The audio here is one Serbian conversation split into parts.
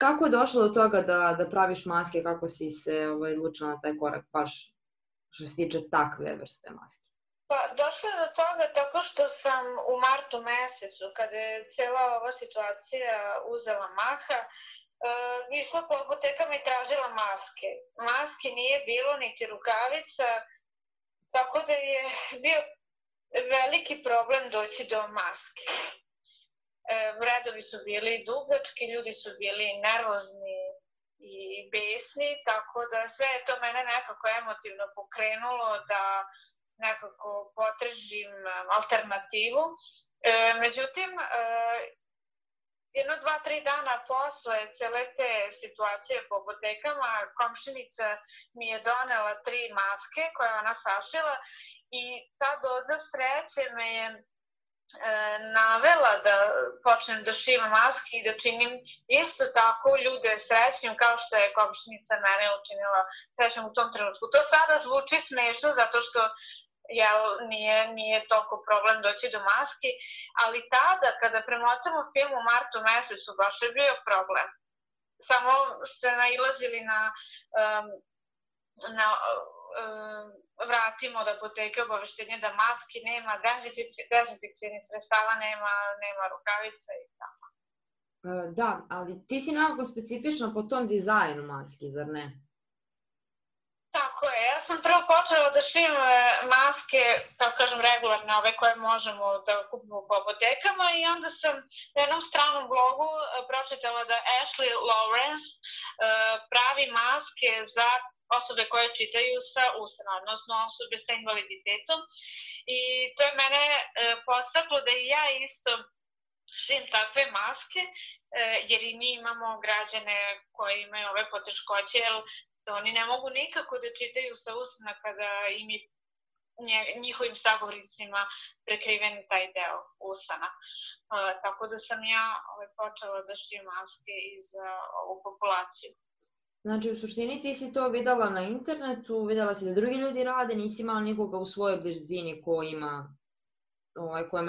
kako je došlo do toga da praviš maske, kako si se odlučila na taj korak, baš što se tiče takve vrste maske? Pa, došlo je do toga tako što sam u martu mesecu, kada je cijela ova situacija uzela maha, išla po apotekama i tražila maske. Maske nije bilo, niti rukavica, tako da je bio veliki problem doći do maske. Redovi su bili dugački, ljudi su bili nervozni i besni, tako da sve je to mene nekako emotivno pokrenulo da nekako potražim alternativu. Međutim, 1-2-3 dana posle cele te situacije po apotekama, komšinica mi je donela 3 maske koje ona sašila i ta doza sreće me je navela da počnem da šivam maske i da činim isto tako ljude srećnim kao što je komšinica mene učinila srećnim u tom trenutku. To sada zvuči smešno zato što nije toliko problem doći do maski, ali tada kada premotamo film u martu mesecu baš je bio problem. Samo ste nailazili na vratimo od apoteke obaveštenje da maski nema, dezinfekcijnih sredstava nema rukavica i tako. Da, ali ti si nekako specifična po tom dizajnu maski, zar ne? Tako je, ja sam prvo počela da šijem maske, tako kažem regularne, ove koje možemo da kupimo po apotekama i onda sam na jednom stranom blogu pročitala da Ashley Lawrence pravi maske za osobe koje čitaju sa usana, odnosno osobe sa invaliditetom i to je mene podstaklo da i ja isto šijem takve maske, jer i mi imamo građane koji imaju ove poteškoće, jer oni ne mogu nikako da čitaju sa usana kada im je njihovim sagovornicima prekriven taj deo usana. Tako da sam ja počela da šijem maske i za ovu populaciju. Znači, u suštini ti si to videla na internetu, videla si da drugi ljudi rade, nisi imala nikoga u svojoj blizini kojima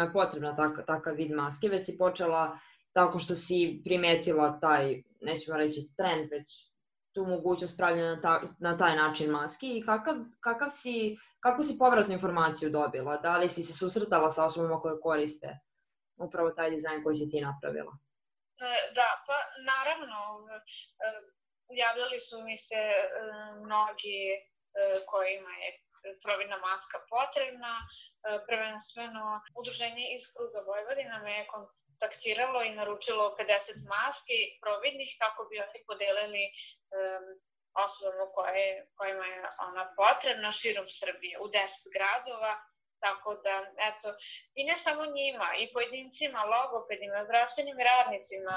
je potrebna takav vid maske, već si počela tako što si primetila taj, nećemo reći trend, već tu mogućnost pravljena na taj način maski i kakvu si povratnu informaciju dobila? Da li si se susretala sa osobama koje koriste upravo taj dizajn koji si ti napravila? Da, pa naravno, javljali su mi se mnogi kojima je providna maska potrebna, prvenstveno udruženje iz kruga Vojvodina me je kontaktiralo i naručilo 50 maski providnih kako bi oni podelili osobama kojima je ona potrebna širom Srbije u 10 gradova. Tako da, eto, i ne samo njima, i pojedincima, logopedima, zdravstvenim radnicima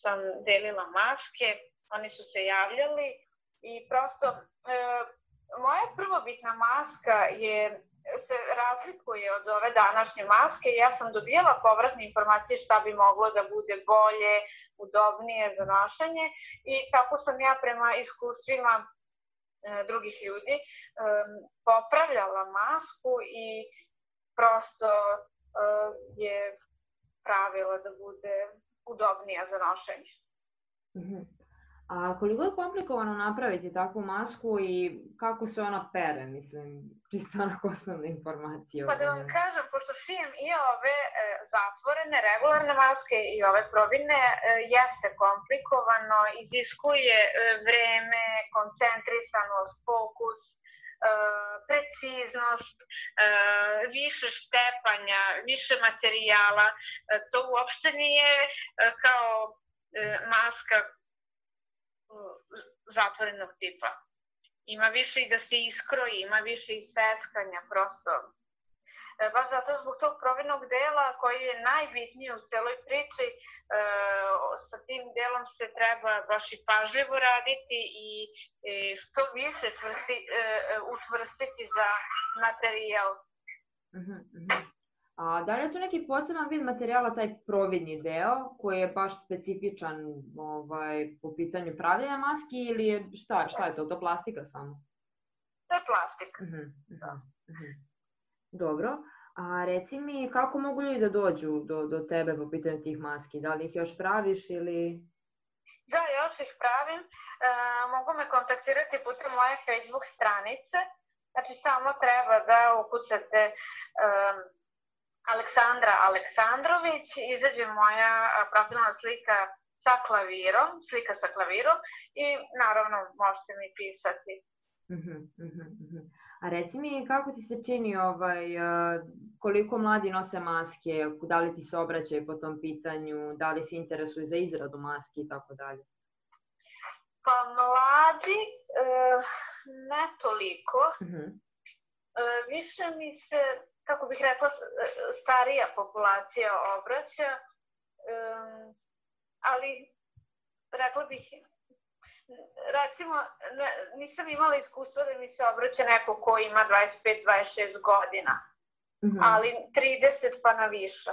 sam delila maske, oni su se javljali i prosto moja prvobitna maska se razlikuje od ove današnje maske i ja sam dobijala povratne informacije šta bi moglo da bude bolje, udobnije za nošenje i tako sam ja prema iskustvima drugih ljudi popravljala masku i prosto je pravila da bude udobnija za nošenje. A koliko je komplikovano napraviti takvu masku i kako se ona pere, mislim, čisto onako osnovne informacije? Pa da vam kažem, pošto šijem i ove zatvorene, regularne maske i ove providne, jeste komplikovano, iziskuje vreme, koncentrisanost, fokus, preciznost, više štepanja, više materijala. To uopšte nije kao maska zatvorenog tipa. Ima više i da se iskroji, ima više i seckanja, prosto. Baš zato zbog tog providnog dela koji je najbitniji u celoj priči, sa tim delom se treba baš i pažljivo raditi i što više učvrstiti za materijal. A da li je tu neki poseban vid materijala, taj providni deo, koji je baš specifičan po pitanju pravljenja maski ili šta je to? To plastika samo? To je plastika. Dobro. A reci mi, kako mogu ljudi da dođu do tebe po pitanju tih maski? Da li ih još praviš ili... Da, još što ih pravim, mogu me kontaktirati putem moje Facebook stranice. Znači, samo treba da ukucate Aleksandra Aleksandrović, izađe moja profilna slika sa klavirom, slika sa klavirom i naravno možete mi pisati. A reci mi, kako ti se čini koliko mladi nose maske, da li ti se obraćaju po tom pitanju, da li se interesuju za izradu maski i tako dalje? Pa mladi, ne toliko. Više mi se, kako bih rekla, starija populacija obraća, ali rekla bih, recimo, nisam imala iskustva da mi se obraća neko ko ima 25-26 godina, ali 30 pa na više.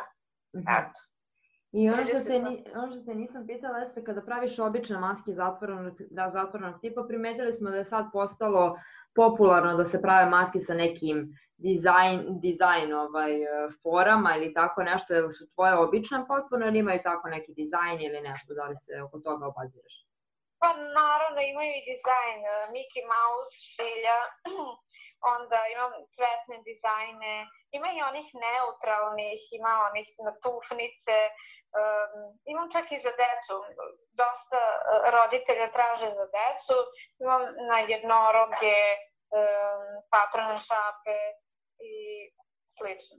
Eto. I ono što te nisam pitala jeste kada praviš obične maske zatvorenog tipa, primetili smo da je sad postalo popularno da se prave maske sa nekim dizajn forama ili tako nešto, ili su tvoje obične potpuno ili imaju tako neki dizajn ili nešto, da li se oko toga obaziraš? Pa naravno imaju i dizajn, Mickey Mouse, šilja, onda imam cvetne dizajne, ima i onih neutralnih, ima onih na tufnice, imam čak i za decu, dosta roditelja traže za decu, imam na jednoroge, patrone šape i slično.